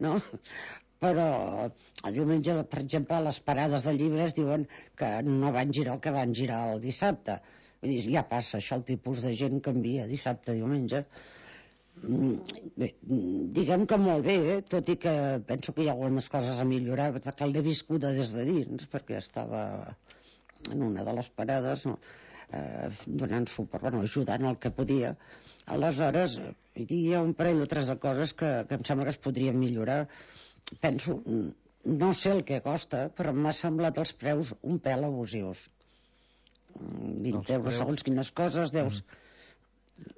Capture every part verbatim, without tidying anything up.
no? Però el diumenge, per exemple, a les parades de llibres diuen que no van girar el que van girar el dissabte. Vull dir, ja passa, això, el tipus de gent canvia dissabte, diumenge. Bé, diguem que molt bé, eh? Tot i que penso que hi ha algunes coses a millorar, que l'he viscuda des de dins, perquè estava en una de les parades, no? eh, donant suport, bueno, ajudant el que podia. Aleshores, hi ha un parell o tres de coses que, que em sembla que es podrien millorar. Penso, no sé el que costa, però m'ha semblat els preus un pèl abusius. vint els euros preus... segons quines coses deus, mm.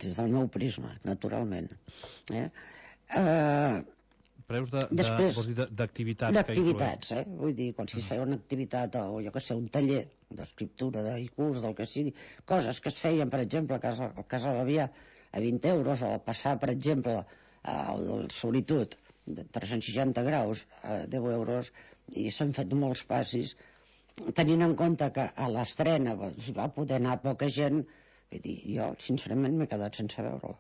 des del meu prisma, naturalment. Eh? Uh, preus de, després, de, d'activitats d'activitats, eh? Vull dir, quan si es feia una activitat o jo que sé, un taller d'escriptura, d'haikus, del que sigui, coses que es feien, per exemple, a casa, a casa l'Avià a vint euros, o passar, per exemple, al Solitud de tres-cents seixanta graus a deu euros, i s'han fet molts passis, tenint en compte que a l'estrena va poder anar poca gent. Vull dir, jo sincerament m'he quedat sense veure-la.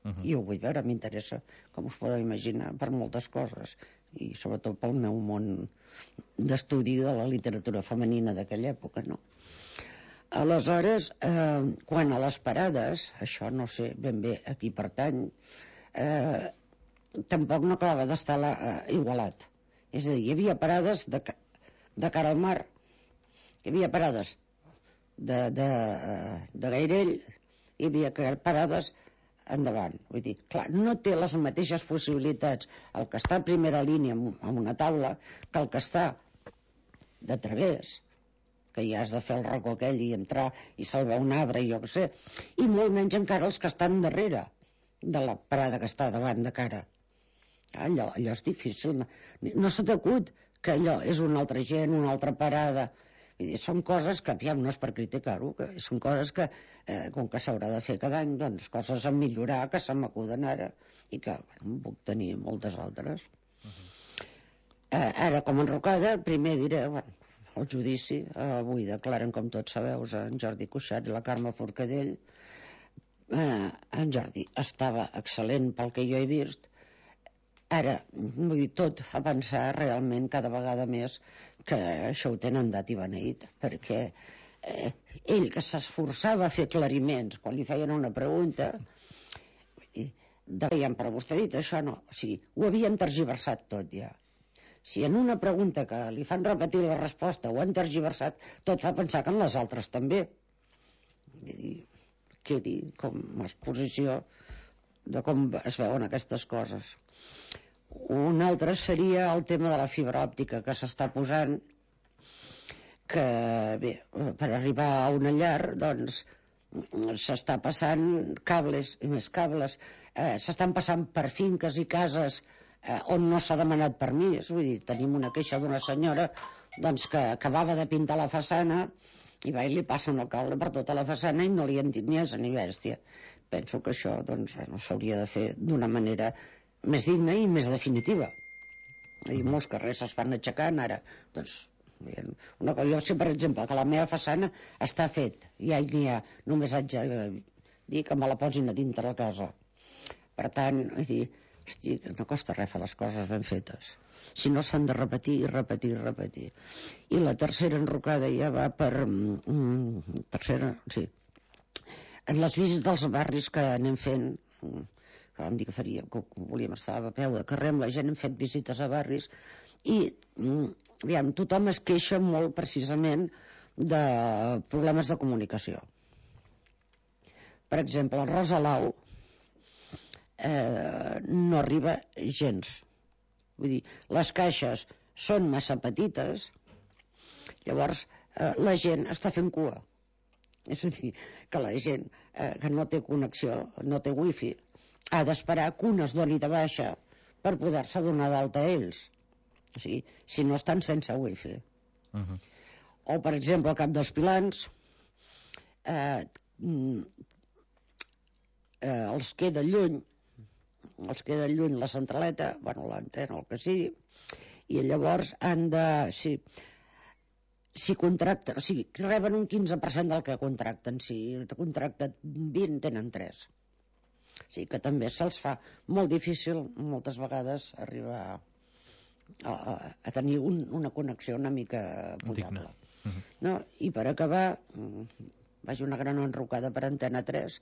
Uh -huh. I ho vull veure, m'interessa, com us podeu imaginar, per moltes coses, i sobretot pel meu món d'estudi de la literatura femenina d'aquella època, no? Aleshores, eh, quan a les parades, això no sé ben bé a qui pertany, eh, tampoc no acabava d'estar eh, igualat. És a dir, hi havia parades de, de cara al mar, hi havia parades de, de, de Gairell, hi havia parades endavant. Vull dir, clar, no té les mateixes possibilitats el que està a primera línia en una taula que el que està de través, que ja has de fer el racó aquell i entrar i salvar un arbre i jo què sé, i molt menys encara els que estan darrere de la parada que està davant de cara. Allò, allò és difícil. No se t'acut que allò és una altra gent, una altra parada. Vull dir, són coses que, aviam, no és per criticar-ho, que són coses que, eh, com que s'haurà de fer cada any, doncs coses a millorar que se m'acuden ara i que, bueno, puc tenir moltes altres. Uh -huh. eh, ara, com a enrocada, primer diré, bueno, el judici, eh, avui declaren, com tots sabeu, en Jordi Cuixart i la Carme Forcadell. eh, en Jordi estava excel·lent pel que jo he vist. Ara, vull dir, tot fa pensar realment cada vegada més que això ho tenen dat i beneït, perquè eh, ell que s'esforçava a fer aclariments quan li feien una pregunta, vull dir, deien, però vostè ha dit això, no, o sigui, ho havien tergiversat tot ja. Si en una pregunta que li fan repetir la resposta ho han tergiversat, tot fa pensar que en les altres també. Vull dir, quedi com a exposició de com es veuen aquestes coses. Un altre seria el tema de la fibra òptica que s'està posant, que bé, per arribar a una llar doncs s'està passant cables i més cables, eh, s'estan passant per finques i cases eh, on no s'ha demanat permís. Vull dir, tenim una queixa d'una senyora doncs que acabava de pintar la façana i va i li passen el cable per tota la façana i no li han dit ni asa ni bèstia. Penso que això doncs bueno, s'hauria de fer d'una manera més digna i més definitiva. I molts carrers es van aixecant ara. Doncs una cosa, jo sé per exemple que la meva façana està fet, ja n'hi ha, només haig de dir que me la posin a dintre la casa. Per tant, vull dir, hosti, no costa res fer les coses ben fetes, si no s'han de repetir i repetir i repetir. I la tercera enrocada ja va per mm, tercera, sí, en les visites dels barris que anem fent, que vam dir que faríem, que volíem estar a peu de carrer amb la gent, hem fet visites a barris i mm, aviam, tothom es queixa molt precisament de problemes de comunicació. Per exemple, el Rosalau eh, no arriba gens. Vull dir, les caixes són massa petites, llavors eh, la gent està fent cua. És a dir, que la gent eh, que no té connexió, no té wifi, ha d'esperar que un es doni de baixa per poder-se donar d'alta a ells. O sigui, si no estan sense wifi. Uh -huh. O, per exemple, al Cap dels Pilans eh, eh, els queda lluny els queda lluny la centraleta, bueno, l'antena o el que sigui, i llavors han de... Sí, si contracten, o sigui, reben un quinze per cent del que contracten, si contracten vint tenen tres. Sí, que també se'ls fa molt difícil moltes vegades arribar a, a, a tenir un, una connexió una mica potable. Uh -huh. No? I per acabar, vaig una gran enrocada per Antena tres,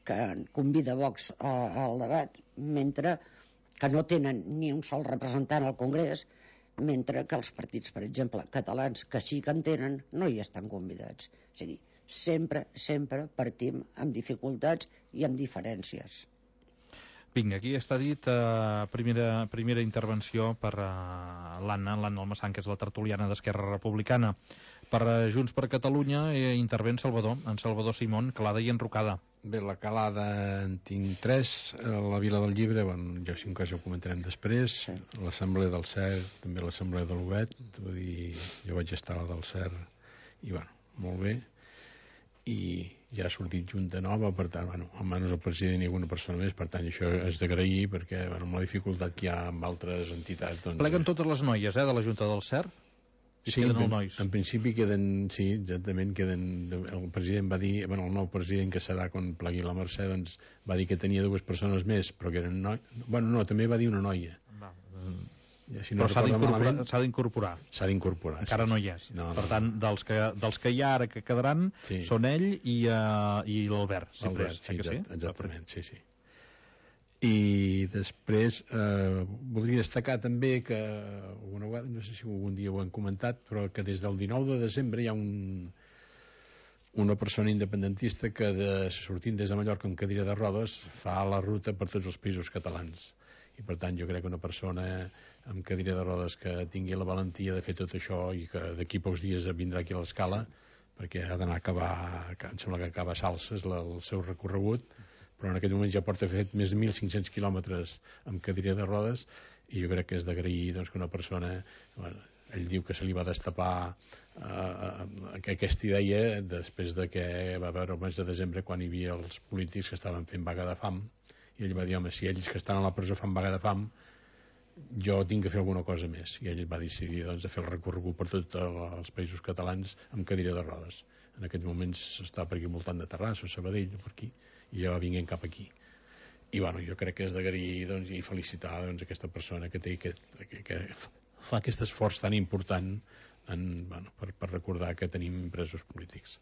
que convida Vox al debat, mentre que no tenen ni un sol representant al Congrés, mentre que els partits, per exemple, catalans, que sí que en tenen, no hi estan convidats. O sigui, sempre, sempre partim amb dificultats i amb diferències. Vinga, aquí està dit eh, primera, primera intervenció per eh, l'Anna, l'Anna Almassán, que és la tertuliana d'Esquerra Republicana. Per eh, Junts per Catalunya eh, intervé en Salvador, en Salvador Simón, Calada i Enrocada. Bé, la Calada en tinc tres, la Vila del Llibre, bueno, jo si un cas ho comentarem després, sí. L'Assemblea del Cert, també l'Assemblea de l'Obet, vull dir, jo vaig estar a la del Cert, i bueno, molt bé, i ja ha sortit Junta Nova, per tant, bueno, almenys el president i alguna persona més, per tant, això és d'agrair, perquè, bueno, amb la dificultat que hi ha amb altres entitats... Doncs, pleguen totes les noies, eh, de la Junta del Cert? I sí, queden en, els nois. En principi queden, sí, exactament, queden, el president va dir, bueno, el nou president que serà quan plegui la Mercè, doncs va dir que tenia dues persones més, però que eren noies, bueno, no, també va dir una noia. Va. Ja, si no, però s'ha d'incorporar. S'ha d'incorporar. Encara sí, no hi és. Sí. No, per no, tant, no. Dels, que, dels que hi ha ara que quedaran, sí. Són ell i, uh, i l'Albert. L'Albert, sí, que sí, exactament, sí, sí. I després eh, voldria destacar també que una vegada, no sé si algun dia ho hem comentat, però que des del dinou de desembre hi ha un, una persona independentista que de, sortint des de Mallorca amb cadira de rodes fa la ruta per tots els països catalans, i per tant jo crec que una persona amb cadira de rodes que tingui la valentia de fer tot això i que d'aquí pocs dies vindrà aquí a l'Escala, perquè ha d'anar a acabar, em sembla que acaba Salses la, el seu recorregut, però en aquest moment ja porta fet més de mil cinc-cents quilòmetres amb cadira de rodes, i jo crec que és d'agrair, doncs, que una persona, bueno, ell diu que se li va destapar eh, aquesta idea després de que va veure el mes de desembre quan hi havia els polítics que estaven fent vaga de fam, i ell va dir, home, si ells que estan a la presó fan vaga de fam, jo tinc que fer alguna cosa més, i ell va decidir, doncs, de fer el recorregut per tots els països catalans amb cadira de rodes. En aquests moments està per aquí al voltant de Terrassa o Sabadell o per aquí, i ja va vinguent cap aquí. I bueno, jo crec que és d'agrair, doncs, i felicitar, doncs, aquesta persona que té que, que, que fa aquest esforç tan important en, bueno, per, per recordar que tenim presos polítics.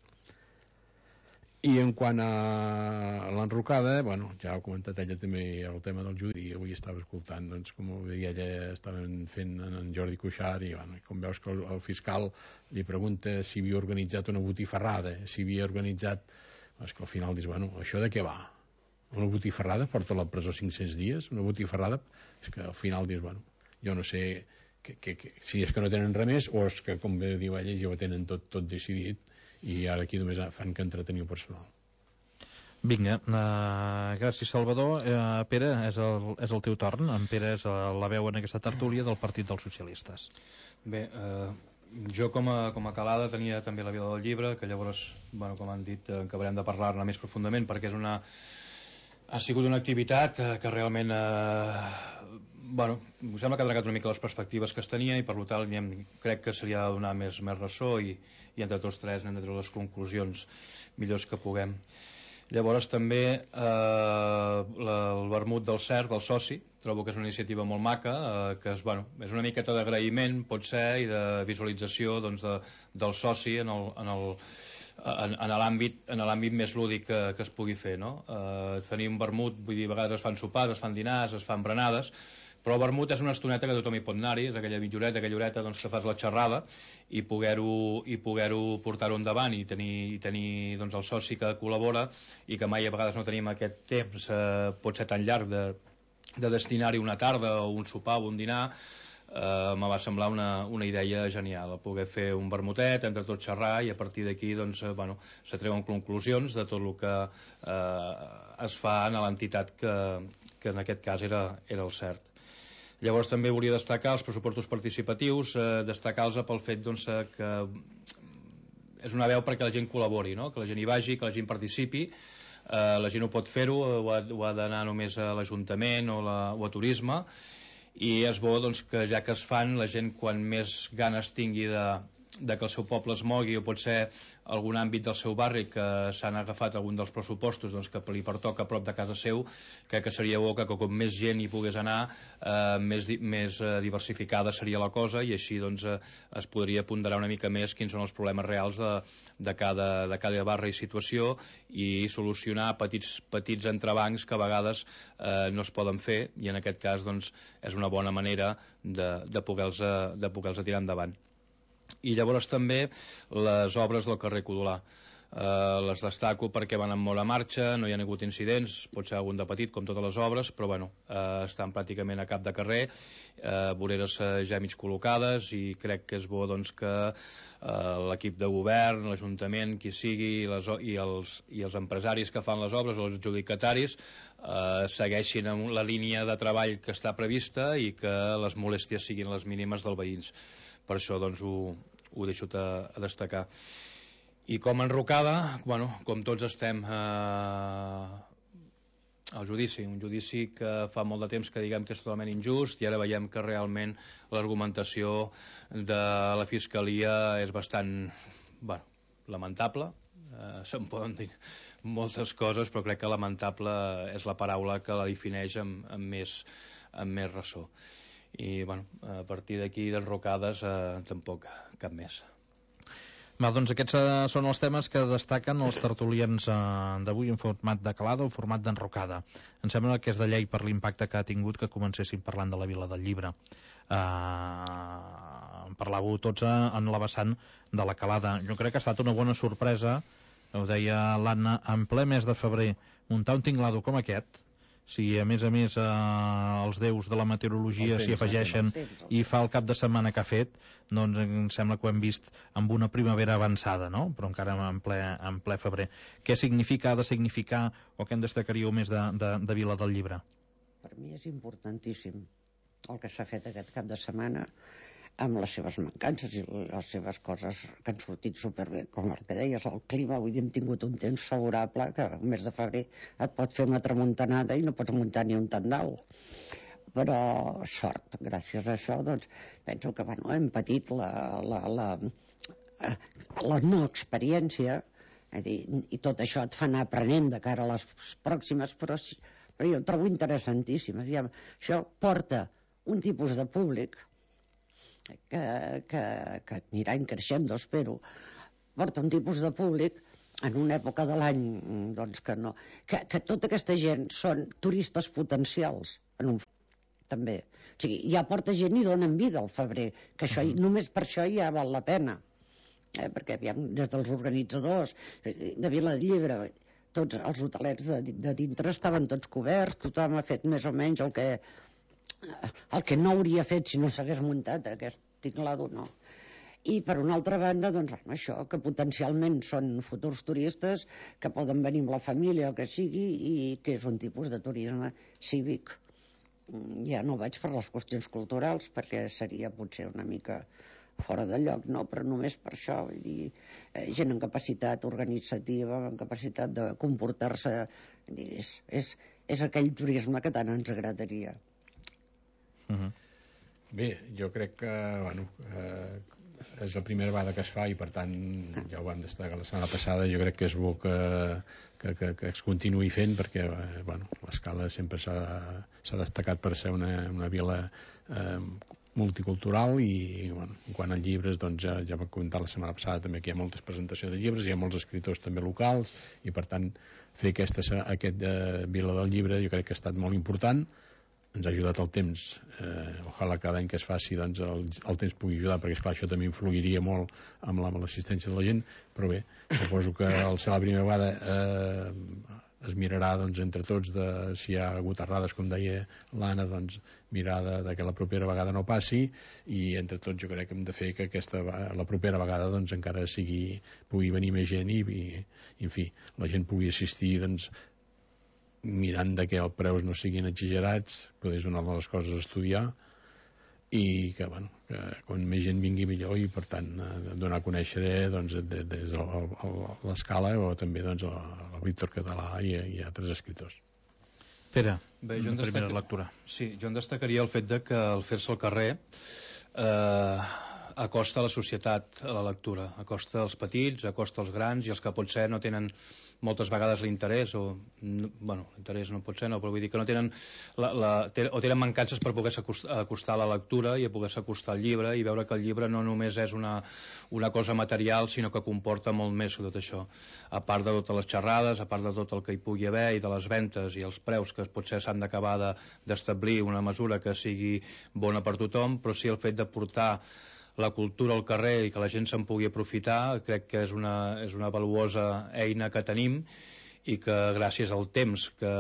I en quant a l'enrocada, bueno, ja ha comentat ella també el tema del judi, i avui estava escoltant, doncs, com ho deia ella, estaven fent en Jordi Cuixart, i bueno, com veus que el, el fiscal li pregunta si havia organitzat una botifarrada, si havia organitzat... És que al final dius, bueno, això de què va? Una botifarrada porta a la presó cinc-cents dies? Una botifarrada? És que al final dius, bueno, jo no sé que, que, que, si és que no tenen res més o és que, com bé diu ella, ja ho tenen tot, tot decidit i ara aquí només fan que entreteniu personal. Vinga, uh, gràcies Salvador. Uh, Pere, és el, és el teu torn. En Pere és la veu en aquesta tertúlia del Partit dels Socialistes. Bé, eh... jo com a, com a Calada tenia també la Vila del Llibre, que llavors, bueno, com han dit, eh, acabarem de parlar-ne més profundament, perquè és una, ha sigut una activitat eh, que realment eh, bueno, em sembla que ha tregat una mica les perspectives que es tenia, i per tant hem, crec que seria de donar més, més ressò, i, i entre tots tres hem de treure les conclusions millors que puguem. Llavors també eh, la, el vermut del Cert, del soci, trobo que és una iniciativa molt maca, eh, que és, bueno, és una miqueta d'agraïment, pot ser, i de visualització, doncs, de, del soci en el, en el, en, en l'àmbit en l'àmbit més lúdic que, que es pugui fer, no? Eh, tenir un vermut, vull dir, a vegades es fan sopars, es fan dinars, es fan berenades, però el vermut és una estoneta que tothom hi pot anar-hi, és aquella mitja horeta, aquella horeta, doncs, que fas la xerrada, i poder-ho i poder-ho portar-ho endavant, i tenir, i tenir doncs, el soci que col·labora, i que mai a vegades no tenim aquest temps, eh, pot ser tan llarg de, de destinar-hi una tarda o un sopar o un dinar. Eh, me va semblar una, una idea genial, poder fer un vermutet, entre tots xerrar, i a partir d'aquí, doncs, eh, bueno, se treuen conclusions de tot el que eh, es fa en l'entitat que, que en aquest cas era, era el Cert. Llavors també volia destacar els pressupostos participatius, eh, destacar-los pel fet, doncs, que és una veu perquè la gent col·labori, no? Que la gent hi vagi, que la gent participi. Eh, la gent ho pot fer-ho, o ha, ha d'anar només a l'Ajuntament o, la, o a Turisme, i és bo, doncs, que ja que es fan, la gent quan més ganes tingui de, de que el seu poble es mogui, o pot ser algun àmbit del seu barri que s'han agafat algun dels pressupostos doncs, que li pertoca a prop de casa seu, crec que seria bo que com més gent hi pogués anar, eh, més, més eh, diversificada seria la cosa, i així doncs, eh, es podria ponderar una mica més quins són els problemes reals de, de, cada, de cada barri i situació, i solucionar petits, petits entrebancs que a vegades eh, no es poden fer, i en aquest cas doncs, és una bona manera de, de poder-los de poder-los tirar endavant. I llavors també les obres del carrer Codolà. Eh, les destaco perquè van amb molt a marxa, no hi ha hagut incidents, pot ser algun de petit com totes les obres, però bueno, eh, estan pràcticament a cap de carrer, eh, voreres eh, ja mig col·locades, i crec que és bo doncs, que eh, l'equip de govern, l'Ajuntament, qui sigui, les, i, els, i els empresaris que fan les obres, els adjudicataris, eh, segueixin amb la línia de treball que està prevista i que les molèsties siguin les mínimes dels veïns. Per això doncs, ho, ho deixo a, a destacar. I com a enrocada, bueno, com tots estem eh, al judici, un judici que fa molt de temps que diguem que és totalment injust, i ara veiem que realment l'argumentació de la Fiscalia és bastant, bueno, lamentable. Eh, se'n poden dir moltes coses, però crec que lamentable és la paraula que la defineix amb, amb, més, amb més ressò. I bueno, a partir d'aquí d'enrocades eh, tampoc cap més. Va, doncs aquests eh, són els temes que destaquen els tertulians eh, d'avui en format de calada o format d'enrocada. Em sembla que és de llei per l'impacte que ha tingut que comencéssim parlant de la Vila del Llibre. Eh, parlàveu tots en la vessant de la calada. Jo crec que ha estat una bona sorpresa, ho deia l'Anna, en ple mes de febrer, muntar un tinglado com aquest. Si a més a més eh, els déus de la meteorologia s'hi afegeixen i fa el cap de setmana que ha fet, doncs em sembla que ho hem vist amb una primavera avançada, no? Però encara en ple, en ple febrer. Què significa, ha de significar, o què en destacaríeu més de, de, de Vila del Llibre? Per mi és importantíssim el que s'ha fet aquest cap de setmana, amb les seves mancances i les seves coses que han sortit superbé, com el que deies, el clima. Avui hem tingut un temps favorable que el mes de febrer et pot fer una tramuntanada i no pots muntar ni un tendal. Però sort, gràcies a això, doncs, penso que bueno, hem patit la, la, la, la no experiència, és dir, i tot això et fa anar aprenent de cara a les pròximes, però, però jo ho trobo interessantíssim. Aviam, això porta un tipus de públic que, que, que anirà creixent, espero, porta un tipus de públic en una època de l'any doncs, que, no, que, que tota aquesta gent són turistes potencials en un, també. O sigui, ja porta gent i donen vida al febrer, que això, uh-huh. només per això ja val la pena, eh? Perquè aviam, des dels organitzadors de Vila del Llibre, tots els hotelets de, de dintre estaven tots coberts, tothom ha fet més o menys el que el que no hauria fet si no s'hagués muntat aquest tinglado, no. I per una altra banda, doncs, bueno, això, que potencialment són futurs turistes que poden venir amb la família, el que sigui, i que és un tipus de turisme cívic. Ja no vaig per les qüestions culturals, perquè seria potser una mica fora de lloc, no? Però només per això, vull dir, eh, gent amb capacitat organitzativa, amb capacitat de comportar-se, és, és, és aquell turisme que tant ens agradaria. Uh-huh. Bé, jo crec que bueno, eh, és la primera vegada que es fa i per tant ja ho vam destacar la setmana passada. Jo crec que és bo que, que, que, que es continuï fent perquè eh, bueno, l'Escala sempre s'ha, s'ha destacat per ser una, una vila eh, multicultural i bueno, quan a llibres doncs, ja, ja vam comentar la setmana passada també que hi ha moltes presentacions de llibres, hi ha molts escriptors també locals i per tant fer aquesta, aquest eh, Vila del Llibre jo crec que ha estat molt important. Ens ha ajudat el temps, eh, ojalà cada any que es faci doncs, el, el temps pugui ajudar perquè esclar això també influiria molt amb, la, amb l'assistència de la gent, però bé, suposo que al ser la primera vegada eh, es mirarà doncs, entre tots de, si hi ha hagut errades com deia l'Anna, doncs mirar de, de que la propera vegada no passi i entre tots jo crec que hem de fer que aquesta, la propera vegada doncs, encara sigui, pugui venir més gent i, i en fi, la gent pugui assistir doncs mirant de que els preus no siguin exagerats, però és una de les coses a estudiar i que, bueno, que quan més gent vingui millor i per tant donar a conèixer doncs, des de, de l'Escala o també doncs, el Víctor Català i, i altres escriptors. Pere, Bé, jo en primera lectura. Sí, jo en destacaria el fet de que al fer-se al carrer eh, acosta a la societat a la lectura, acosta als petits, acosta als grans i els que potser no tenen moltes vegades l'interès o, no, bueno, l'interès no pot ser, no, però vull dir que no tenen la, la, o tenen mancances per poder-se acostar a la lectura i a poder-se acostar al llibre i veure que el llibre no només és una, una cosa material, sinó que comporta molt més que tot això, a part de totes les xerrades, a part de tot el que hi pugui haver i de les ventes i els preus que potser s'han d'acabar d'establir una mesura que sigui bona per tothom, però sí el fet de portar la cultura al carrer i que la gent se'n pugui aprofitar, crec que és una, és una valuosa eina que tenim i que gràcies al temps que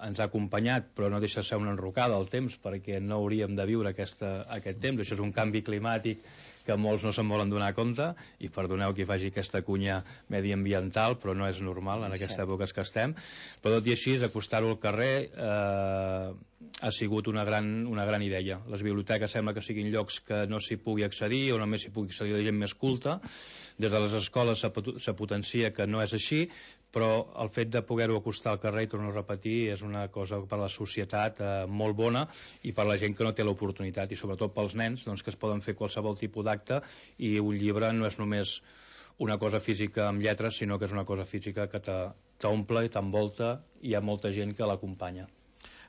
ens ha acompanyat, però no deixa de ser una enrocada al temps, perquè no hauríem de viure aquesta, aquest temps. Això és un canvi climàtic que molts no se'n volen donar compte, i perdoneu que hi faci aquesta cunya mediambiental, però no és normal en aquesta època que estem. Però tot i així, acostar-ho al carrer eh, ha sigut una gran, una gran idea. Les biblioteques sembla que siguin llocs que no s'hi pugui accedir o només s'hi pugui accedir de gent més culta. Des de les escoles se potencia que no és així, però el fet de poder-ho acostar al carrer, i torno a repetir, és una cosa per a la societat eh, molt bona i per a la gent que no té l'oportunitat, i sobretot pels nens, doncs, que es poden fer qualsevol tipus d'acte, i un llibre no és només una cosa física amb lletres, sinó que és una cosa física que t'omple i t'envolta, i hi ha molta gent que l'acompanya.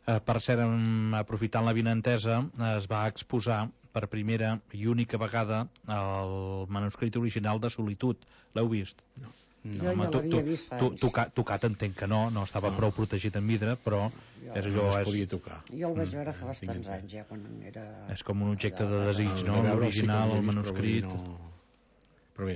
Eh, per cert, aprofitant la vinentesa, es va exposar per primera i única vegada el manuscrit original de Solitud. L'heu vist? No. No, jo home, ja l'havia vist fa tu, anys. tocat, tocat entenc que no, no estava no. prou protegit en vidre, però jo, és allò, no es és, podia tocar. Jo el vaig veure fa bastants anys, ja, quan era... És com un objecte de desig, no? no? L'original, el manuscrit... Però, no... però bé,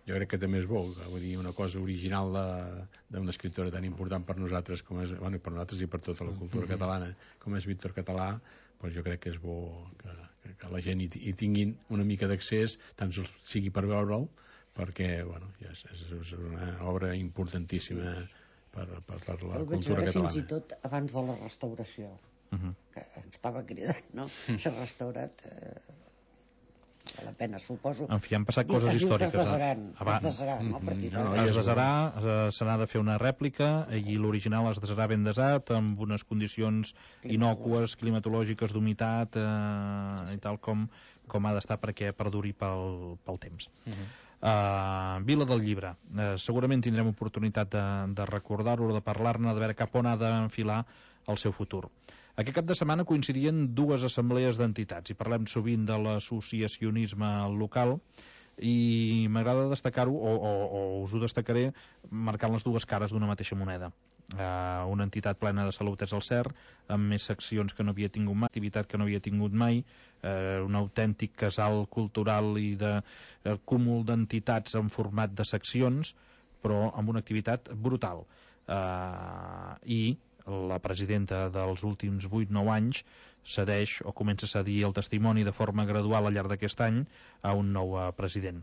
jo crec que també és bo, vull dir, una cosa original d'una escriptora tan important per nosaltres, com és, bueno, per nosaltres i per tota la cultura mm-hmm. catalana, com és Víctor Català, doncs jo crec que és bo que, que, que la gent hi, hi tinguin una mica d'accés, tant sigui per veure'l, perquè bueno, és, és una obra importantíssima per, per, per la el cultura catalana. Fins i tot abans de la restauració, uh-huh. que estava cridant, no? S'ha restaurat... Eh... la pena, suposo. En fi, han passat coses històriques. Es desaran, es desaran, no? No, no, es desarà, se n'ha de fer una rèplica, i l'original es desarà ben desat, amb unes condicions inòcues, climatològiques, d'humitat, eh, i tal com, com ha d'estar perquè perduri pel, pel temps. Uh-huh. Uh, Vila del Llibre. Uh, segurament tindrem oportunitat de, de recordar-ho, de parlar-ne, de veure cap on ha d'enfilar el seu futur. Aquest cap de setmana coincidien dues assemblees d'entitats i parlem sovint de l'associacionisme local, i m'agrada destacar-ho, o, o, o us ho destacaré marcant les dues cares d'una mateixa moneda. Uh, una entitat plena de salut és el C E R, amb més seccions que no havia tingut mai, activitat que no havia tingut mai, uh, un autèntic casal cultural i de uh, cúmul d'entitats en format de seccions, però amb una activitat brutal. Uh, I la presidenta dels últims vuit nou anys cedeix o comença a cedir el testimoni de forma gradual al llarg d'aquest any a un nou president.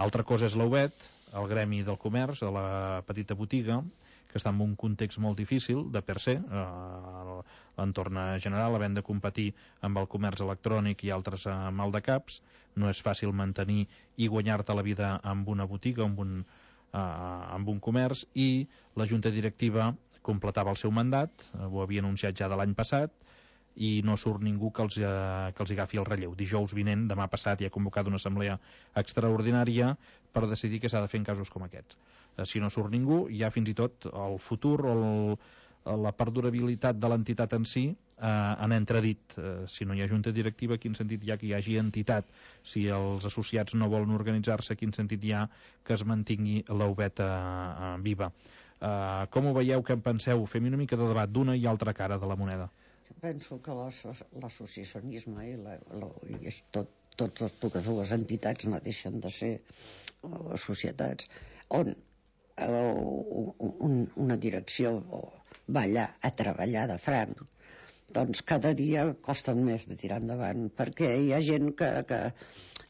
Altra cosa és l'U B E T, el gremi del comerç, de la petita botiga, que està en un context molt difícil de per se, eh, l'entorn general, havent de competir amb el comerç electrònic i altres eh, maldecaps. No és fàcil mantenir i guanyar-te la vida amb una botiga, amb un, eh, amb un comerç, i la junta directiva completava el seu mandat, ho havia anunciat ja de l'any passat, i no surt ningú que els, eh, que els agafi el relleu. Dijous vinent, demà passat, hi ha convocat una assemblea extraordinària per decidir què s'ha de fer en casos com aquests. Eh, si no surt ningú, ja fins i tot el futur o el, la perdurabilitat de l'entitat en si eh, en entredit. Eh, si no hi ha junta directiva, quin sentit hi ha que hi hagi entitat? Si els associats no volen organitzar-se, quin sentit hi ha que es mantingui la U B E T eh, viva? Uh, com ho veieu, què en penseu? Fem una mica de debat d'una i altra cara de la moneda. Jo penso que l'associacionisme i, la, la, i tot, tots totes dues entitats no deixen de ser uh, societats on uh, un, una direcció va allà a treballar de franc, doncs cada dia costen més de tirar endavant, perquè hi ha gent que, que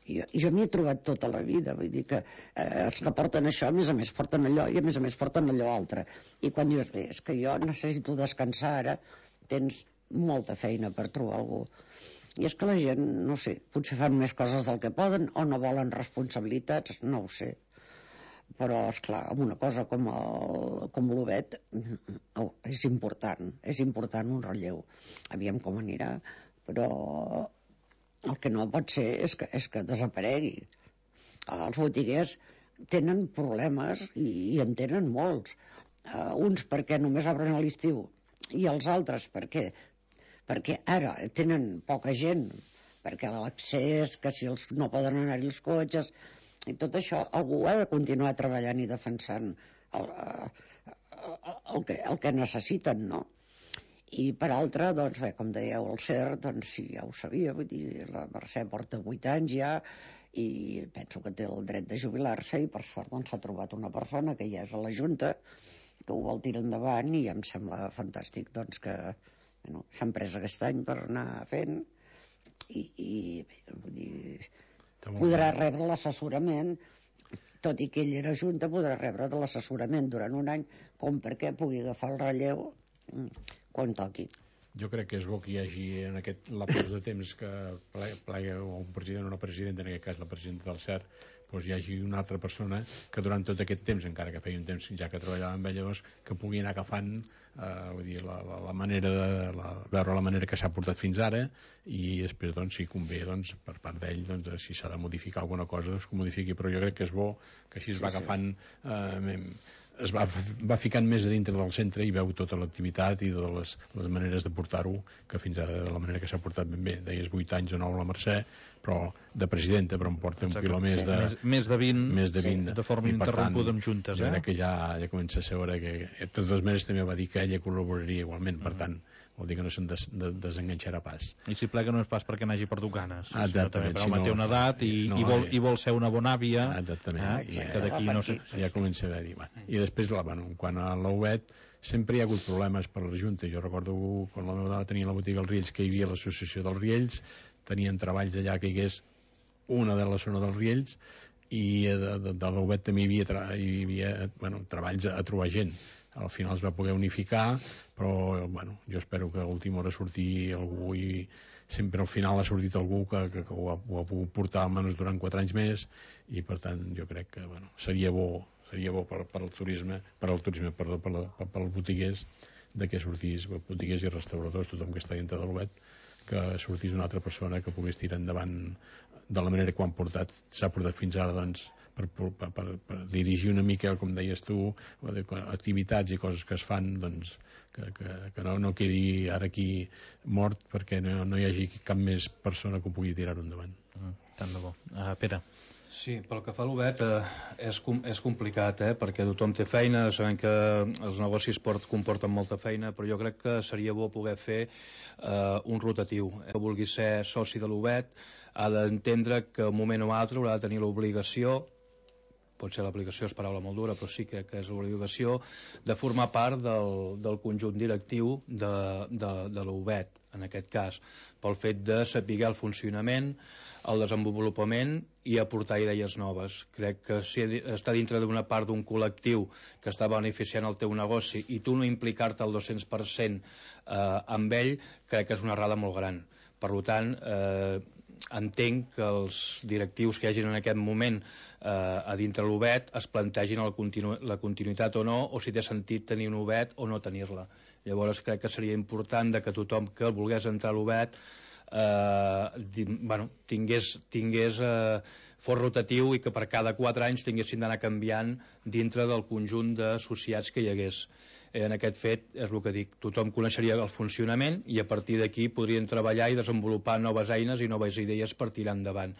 jo, jo m'hi he trobat tota la vida, vull dir que eh, els que porten això a més a més porten allò i a més a més porten allò altre, i quan dius, bé, és que jo necessito descansar ara, tens molta feina per trobar algú, i és que la gent, no sé, potser fan més coses del que poden o no volen responsabilitats, no ho sé, però esclar, amb una cosa com, el, com l'U B E T oh, és important, és important un relleu, aviam com anirà, però el que no pot ser és que, és que desaparegui. Els botiguers tenen problemes i, i en tenen molts. Uh, uns perquè només obren a l'estiu i els altres perquè perquè ara tenen poca gent, perquè l'accés, que si els, no poden anar-hi els cotxes, i tot això algú ha de continuar treballant i defensant el, el, el, que, el que necessiten, no? I per altra, doncs bé, com dèieu, el C E R, doncs sí, ja ho sabia, vull dir, la Mercè porta vuit anys ja, i penso que té el dret de jubilar-se, i per sort doncs s'ha trobat una persona que ja és a la Junta, que ho vol tirar endavant, i em sembla fantàstic doncs que bueno, s'han pres aquest any per anar fent, i, i vull dir, podrà rebre l'assessorament, tot i que ell era Junta, podrà rebre de l'assessorament durant un any, com perquè pugui agafar el relleu quan toqui. Jo crec que és bo que hi hagi en aquest lapus de temps que plega un president o una presidenta, en aquest cas la presidenta del C E R, doncs hi hagi una altra persona que durant tot aquest temps, encara que feia un temps ja que treballava amb ella, doncs, que pugui anar agafant eh, vull dir, la, la, la manera de la, veure la manera que s'ha portat fins ara, i després doncs, si convé doncs, per part d'ell doncs, si s'ha de modificar alguna cosa doncs, que ho modifiqui, però jo crec que és bo que així es va sí, agafant eh, es va, va ficant més a dintre del centre i veu tota l'activitat i de les, les maneres de portar-ho, que fins ara de la manera que s'ha portat ben bé. Deies vuit anys o nou la Mercè, però de presidenta, però em porta un quilò més de... Més, més de vint, més de, vint sí, de forma interrompuda amb juntes, eh? Jo crec que ja, ja comença a ser hora que... De totes maneres també va dir que ella col·laboraria igualment, per tant, vol dir que no se'n des, de, desenganxarà pas. I si plega no és pas perquè n'hagi perdut ganes, ah, sinó també per no, té una edat i, no, i, vol, i vol ser una bona àvia, ah, exactament, eh? I, que d'aquí no sé... Ja comença a haver-hi. Bueno. I després, la, bueno, quan a l'O U E T, sempre hi ha hagut problemes per la Junta. Jo recordo quan la meva dona tenia la botiga als Riells, que hi havia l'associació dels Riells, tenien treballs allà que hi hagués una de la zona dels Riells, i de, de, de l'O U E T també hi havia, tra hi havia bueno, treballs a, a trobar gent. Al final es va poder unificar, però bueno, jo espero que a l'última hora surti algú, i sempre al final ha sortit algú que, que, que ho, ha, ho ha pogut portar almenys durant quatre anys més, i per tant jo crec que bueno, seria bo seria bo per, per al turisme per al turisme, perdó, per, la, per, per als botiguers, de que sortís botiguers i restauradors, tothom que està dintre de l'O U E T, que sortís una altra persona que pogués tirar endavant de la manera que ho han portat, s'ha portat fins ara, doncs, per, per, per, per dirigir una mica, com deies tu, activitats i coses que es fan, doncs, que, que, que no, no quedi ara aquí mort, perquè no, no hi hagi cap més persona que ho pugui tirar-ho endavant. Mm, tant de bo. Uh, Pere. Sí, pel que fa a l'O U E T eh, és, com, és complicat, eh, perquè tothom té feina, sabem que els negocis port, comporten molta feina, però jo crec que seria bo poder fer eh, un rotatiu. Que vulgui ser soci de l'O U E T ha d'entendre que un moment o altre haurà de tenir l'obligació, potser l'aplicació és paraula molt dura, però sí que, que és l'obligació de formar part del, del conjunt directiu de, de, de l'O U E T, en aquest cas, pel fet de saber el funcionament, el desenvolupament i aportar idees noves. Crec que si està dintre d'una part d'un col·lectiu que està beneficiant el teu negoci i tu no implicar-te al dos-cents per cent eh, amb ell, crec que és una errada molt gran. Per tant, eh, entenc que els directius que hi hagin en aquest moment eh, a dintre l'O U E T es plantegin la, continu la continuïtat o no, o si té sentit tenir un O U E T o no tenir-la. Llavors crec que seria important de que tothom que volgués entrar a l'O U E T eh, bueno, tingués, tingués eh, fos rotatiu i que per cada quatre anys tinguessin d'anar canviant dintre del conjunt d'associats que hi hagués. En aquest fet, és el que dic, tothom coneixeria el funcionament i a partir d'aquí podrien treballar i desenvolupar noves eines i noves idees per tirar endavant.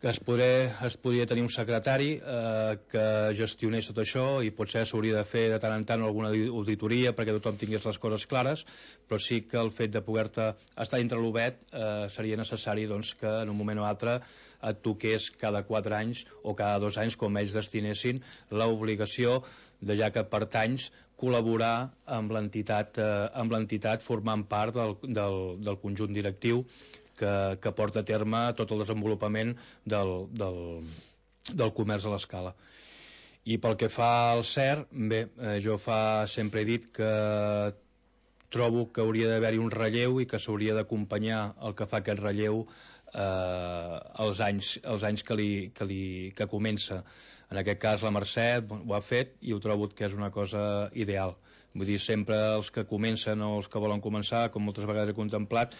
Que es, podré, es podria tenir un secretari eh, que gestionés tot això i potser s'hauria de fer de tant en tant alguna auditoria perquè tothom tingués les coses clares, però sí que el fet de poder-te estar dintre l'O U E T eh, seria necessari doncs, que en un moment o altre et toqués cada quatre anys o cada dos anys, com ells destinessin, l'obligació de ja que pertanys col·laborar amb l'entitat eh, amb l'entitat formant part del, del, del conjunt directiu que, que porta a terme tot el desenvolupament del, del, del comerç a l'escala. I pel que fa al C E R, bé, eh, jo fa, sempre he dit que trobo que hauria d'haver-hi un relleu i que s'hauria d'acompanyar el que fa aquest relleu eh, els anys, els anys que, li, que, li, que comença. En aquest cas la Mercè ho ha fet i ho trobo que és una cosa ideal. Vull dir, sempre els que comencen o els que volen començar, com moltes vegades he contemplat,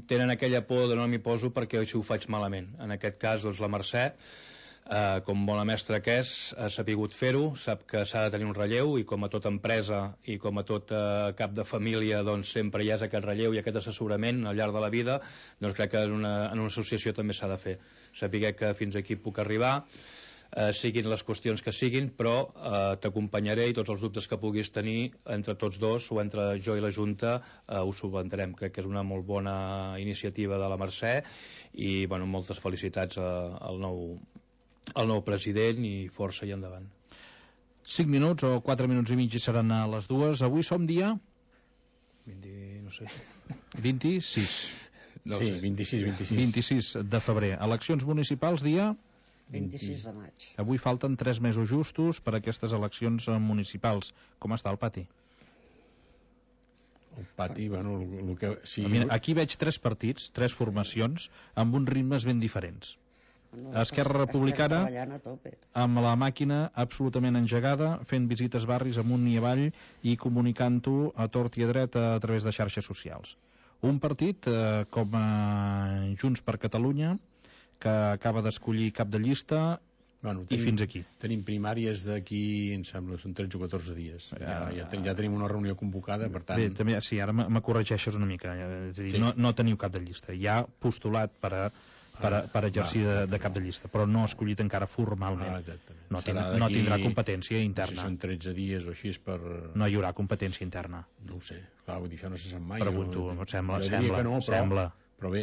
tenen aquella por de no m'hi poso perquè si ho faig malament. En aquest cas, doncs, la Mercè, eh, com bona mestra que és, ha sapigut fer-ho, sap que s'ha de tenir un relleu, i com a tota empresa i com a tot eh, cap de família, doncs sempre hi ha aquest relleu i aquest assessorament al llarg de la vida. Doncs crec que en una, en una associació també s'ha de fer. Saber que fins aquí puc arribar, eh, siguin les qüestions que siguin, però eh, t'acompanyaré, i tots els dubtes que puguis tenir entre tots dos o entre jo i la Junta eh, ho solventarem. Crec que és una molt bona iniciativa de la Mercè i bueno, moltes felicitats a, al nou el nou president, i força i endavant. cinc minuts o quatre minuts i mig i seran a les dues. Avui som dia... vint, no sé... vint-i-sis. No sí, sé. vint-i-sis, vint-i-sis. vint-i-sis de febrer. Eleccions municipals dia... vint-i-sis de maig. Avui falten tres mesos justos per a aquestes eleccions municipals. Com està el pati? El pati, bueno, el, el que... Si... Mira, aquí veig tres partits, tres formacions, amb uns ritmes ben diferents. Esquerra Republicana amb la màquina absolutament engegada, fent visites barris amunt i avall i comunicant-ho a tort i a dret a través de xarxes socials. Un partit eh, com a Junts per Catalunya, que acaba d'escollir cap de llista, bueno, i tenim, fins aquí. Tenim primàries d'aquí, em sembla, són tretze o catorze dies. Ja, ja, ten, ja tenim una reunió convocada, per tant... Bé, també, sí, ara me corregeixes una mica. És a dir, sí. no, no teniu cap de llista. Hi ha postulat per a per, a, per exercir de, de cap de llista, però no ha escollit encara formalment. Ah, no, tindrà, no tindrà competència interna. Si són tretze dies o així és per... No hi haurà competència interna. No ho sé, clar, vull dir, això no se sap mai. Pregunto, no, em sembla, jo sembla, no, però, sembla. Però bé,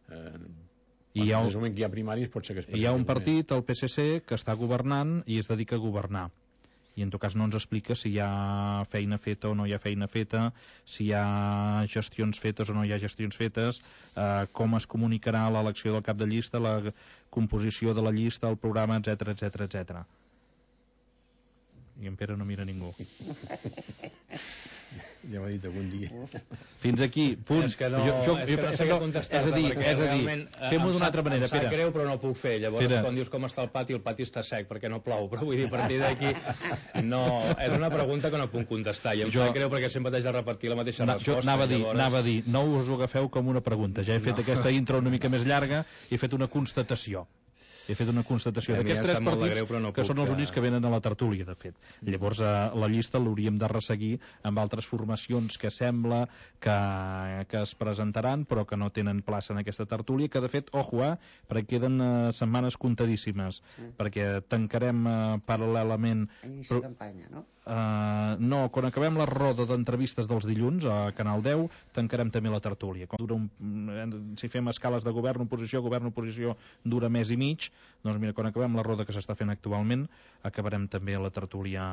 eh, I hi ha, un, moment que hi ha primaris pot ser que es hi ha un partit, el P S C, que està governant i es dedica a governar. I en tot cas no ens explica si hi ha feina feta o no hi ha feina feta, si hi ha gestions fetes o no hi ha gestions fetes, eh, com es comunicarà l'elecció del cap de llista, la composició de la llista, el programa, etc etc etc. I en Pere no mira ningú. Ja m'ha dit algun dia. Fins aquí, punt. És que no, jo, jo, és que no sé què contestar. És a dir, és a dir fem-ho d'una altra manera, Pere. Em sap greu, però no puc fer. Llavors, Pere. Quan dius com està el pati, el pati està sec, perquè no plou. Però vull dir, a partir d'aquí, no, és una pregunta que no puc contestar. I em jo, sap greu perquè sempre t'haig de repetir la mateixa na, resposta. Jo anava a, dir, llavors... anava a dir, no us ho agafeu com una pregunta. Ja he fet no. aquesta intro una mica més llarga i he fet una constatació. He fet una constatació d'aquests tres partits greu, no que puc, són els únics que venen a la tertúlia, de fet. Llavors, eh, la llista l'hauríem de resseguir amb altres formacions que sembla que, que es presentaran, però que no tenen plaça en aquesta tertúlia, que, de fet, ojo, eh, perquè queden eh, setmanes comptadíssimes, mm. perquè tancarem eh, paral·lelament... Inici de campanya, no? Uh, no, quan acabem la roda d'entrevistes dels dilluns a Canal deu, tancarem també la tertúlia. Quan dura un, si fem escales de govern, oposició, govern, oposició, dura mes i mig, doncs mira, quan acabem la roda que s'està fent actualment, acabarem també la tertúlia,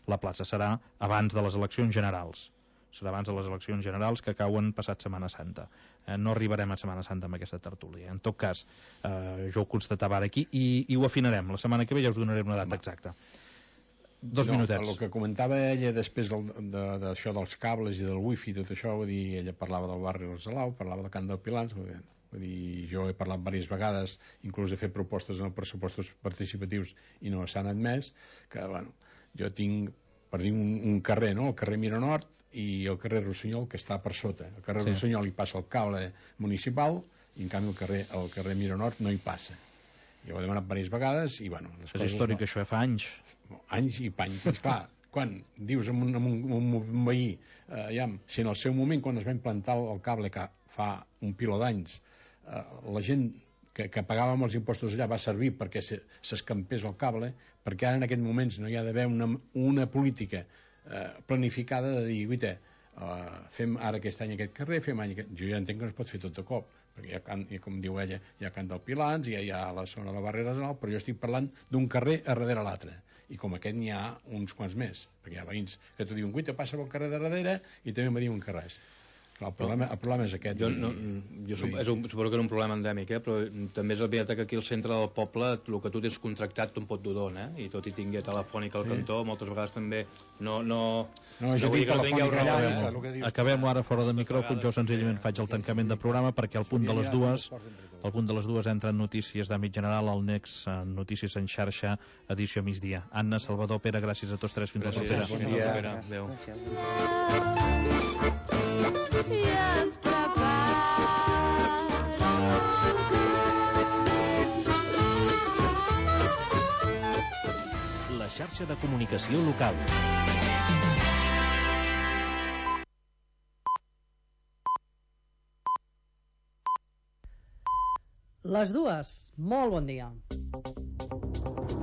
la plaça. Serà abans de les eleccions generals. Serà abans de les eleccions generals que cauen passat Setmana Santa. Eh, no arribarem a Setmana Santa amb aquesta tertúlia. En tot cas, eh, jo ho constatava ara aquí i, i ho afinarem. La setmana que ve ja us donaré una data exacta. Dos no, minutets. El que comentava ella després d'això de, dels cables i del wifi i tot això, vull dir, ella parlava del barri del Salau, parlava del Camp del Pilans, vull dir, vull dir, jo he parlat diverses vegades, inclús he fet propostes en els pressupostos participatius i no s'han admès, que, bueno, jo tinc, per dir un, un carrer, no?, el carrer Mira Nord i el carrer Rossinyol, que està per sota. El carrer sí. Rossinyol hi passa el cable municipal i, en canvi, el carrer, el carrer Mira Nord no hi passa. Jo ho he demanat diverses vegades i, bueno... Les és històric, no... això fa anys. Anys i panys. Esclar, quan dius a un, a un, a un veí, eh, ja, si en el seu moment, quan es va implantar el cable, que fa un piló d'anys, eh, la gent que, que pagava amb els impostos allà va servir perquè s'escampés el cable, perquè ara en aquests moments no hi ha d'haver una, una política eh, planificada de dir, guaita, Uh, fem ara aquest any aquest carrer, fem any aquest... Jo ja entenc que no es pot fer tot de cop, perquè hi ha, can, com diu ella, hi ha Camp del Pilans, hi ha, hi ha la zona de la Barrera Nacional, però jo estic parlant d'un carrer a darrere l'altre, i com aquest n'hi ha uns quants més, perquè hi ha veïns que t'ho diuen, guaita, passa pel carrer de darrere, i també me diuen que res. Clar, el, problema, el problema és aquest. Jo, no, jo sup és un, suposo que és un problema endèmic, eh? Però també és veritat que aquí al centre del poble el que tu tens contractat te'n pot dur d'on, eh? I tot i tingui telefònica al sí. cantó, moltes vegades també no... no, no, no vull dir que no tingueu raó, eh? eh? Acabem-ho ara fora de micròfon, jo senzillament faig el tancament de programa perquè al punt de les dues al punt de les dues entren notícies d'àmbit general al Next, Notícies en xarxa, edició migdia. Anna, Salvador, Pere, gràcies a tots tres, fins la propera. Bon dia. Adéu. I es prepara La xarxa de comunicació local. Les dues, molt bon dia.